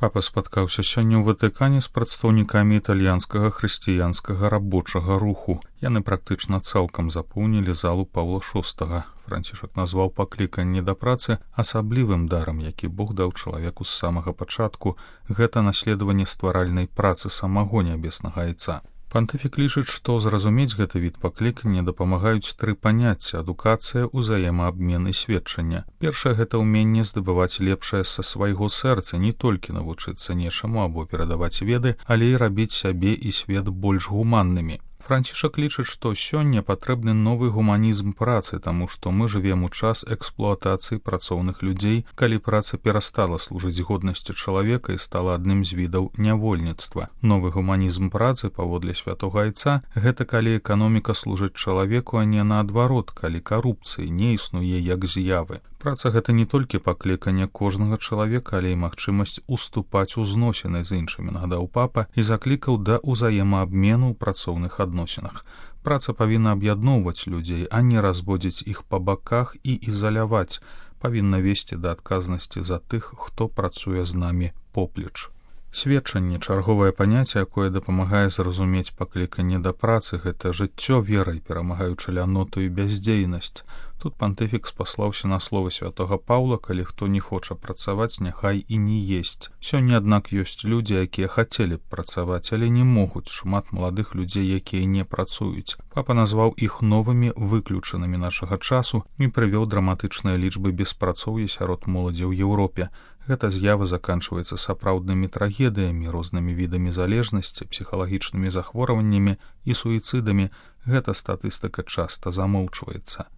Папа спаткаўся сёння ў Ватыкане з прадстаўнікамі італьянскага хрысціянскага рабочага руху. Яны практычна цалкам запоўнілі залу Паўла VI. Францішак назваў пакліканне да працы асаблівым дарам, які Бог даў чалавеку з самага пачатку. Гэта наследаванне стваральнай працы самого нябеснага Айца. Пантыфік лічыць, што зразумець гэты від паклікання дапамагаюць тры паняцці: адукацыя, узаемаабмен і сведчанне. Першае — гэта ўменне здабываць лепшае са свайго сэрца, не толькі навучыцца нечаму або перадаваць веды, але і рабіць сябе і свет больш гуманнымі. Францішак лічыць, што сёння патрэбны новы гуманізм працы, таму што мы жывем у час эксплуатацыі працоўных людзей, калі праца перастала служыць годнасці чалавека і стала адным з відаў нявольніцтва. Новы гуманізм працы, паводле святога Айца, гэта калі эканоміка служыць чалавеку, а не наадварот, калі карупцыі не існуе як з'явы. Праца — гэта не толькі пакліканне кожнага чалавека, але і магчымасць уступаць у зносіны з іншымі, нагадаў папа, і заклікаў да ўзаемаабмену ў працоўных адносінах. Праца павінна аб'ядноўваць людзей, а не разводзіць іх па баках і ізаляваць, павінна весці да адказнасці за тых, хто працуе з намі поплеч. Сведчанне — чарговае паняцце, якое дапамагае зразумець пакліканне да працы. Гэта жыццё верай, перамагаючы ляноту і бяздзейнасць. Тут пантыфік спаслаўся на словы святога Паўла: калі хто не хоча працаваць, няхай і не есць. Сёння, аднак, ёсць людзі, якія хацелі б працаваць, але не могуць. Шмат маладых людзей, якія не працуюць. Папа назваў іх новымі выключанымі нашага часу і прывёў драматычныя лічбы беспрацоўя сярод моладзі ў Еўропе. Гэта з'ява заканчваецца сапраўднымі трагедыямі, рознымі відамі залежнасці, псіхалагічнымі захворваннямі і суіцыдамі. Гэта статыстыка часта замоўчваецца.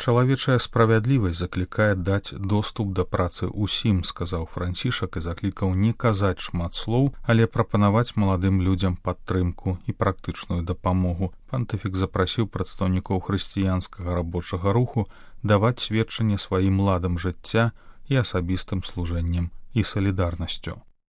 Чалавечая справядлівасць заклікае даць доступ да працы ўсім, сказаў Францішак і заклікаў не казаць шмат слоў, але прапанаваць маладым людзям падтрымку і практычную дапамогу. Пантыфік запрасіў прадстаўнікоў хрысціянскага рабочага руху даваць сведчанне сваім ладам жыцця і асабістым служэннем і салідарнасцю.